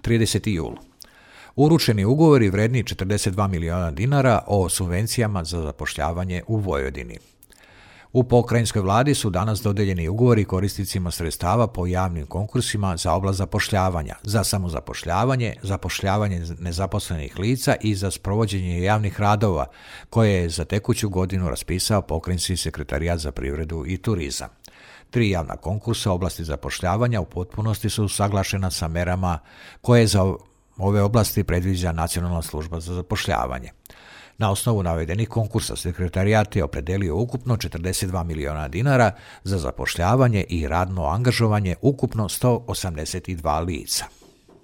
30. jul. Uručeni ugovori vredni 42 miliona dinara o subvencijama za zapošljavanje u Vojvodini. U pokrajinskoj vladi su danas dodeljeni ugovori korisnicima sredstava po javnim konkursima za oblast zapošljavanja, za samozapošljavanje, zapošljavanje nezaposlenih lica i za sprovođenje javnih radova, koje je za tekuću godinu raspisao pokrajinski sekretarijat za privredu i turizam. 3 javna konkursa u oblasti zapošljavanja u potpunosti su usaglašena sa merama koje za ove oblasti predviđa Nacionalna služba za zapošljavanje. Na osnovu navedenih konkursa sekretarijat je opredelio ukupno 42 miliona dinara za zapošljavanje i radno angažovanje ukupno 182 lica.